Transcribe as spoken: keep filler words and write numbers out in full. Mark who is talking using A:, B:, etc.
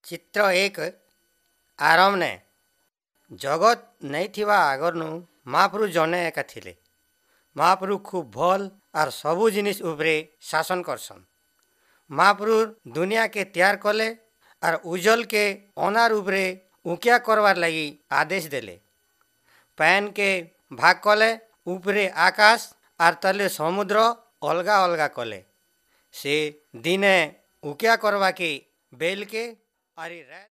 A: ଚିତ୍ର ଏକ ଆରମ୍ନେ ଜଗତ୍ ନେଇଥିବା ଆଗର୍ନୁ ମହାପ୍ରଭୁ ଜନେ ଏକା ଥିଲେ। ମହାପ୍ରଭୁ ଖୁବ୍ ଭଲ୍ ଆର୍ ସବୁ ଜିନିଷ୍ ଉପରେ ଶାସନ୍ କରସନ୍। ମହାପ୍ରଭୁ ଦୁନିଆକେ ତିଆର୍ କଲେ ଆର୍ ଉଜ୍ଜଲ୍କେ ଅନ୍ଧାର୍ ଉପରେ ଉକିଆ କରବାର୍ ଲାଗି ଆଦେଶ ଦେଲେ। ପାଏନ୍କେ ଭାଗ୍ କଲେ, ଉପରେ ଆକାଶ୍ ଆର୍ ତଲେ ସମୁଦ୍ର ଅଲଗା ଅଲଗା କଲେ। ସେ ଦିନେ ଉକିଆ କରବାକେ ବେଲ୍କେ ଆରି ରାଏତ୍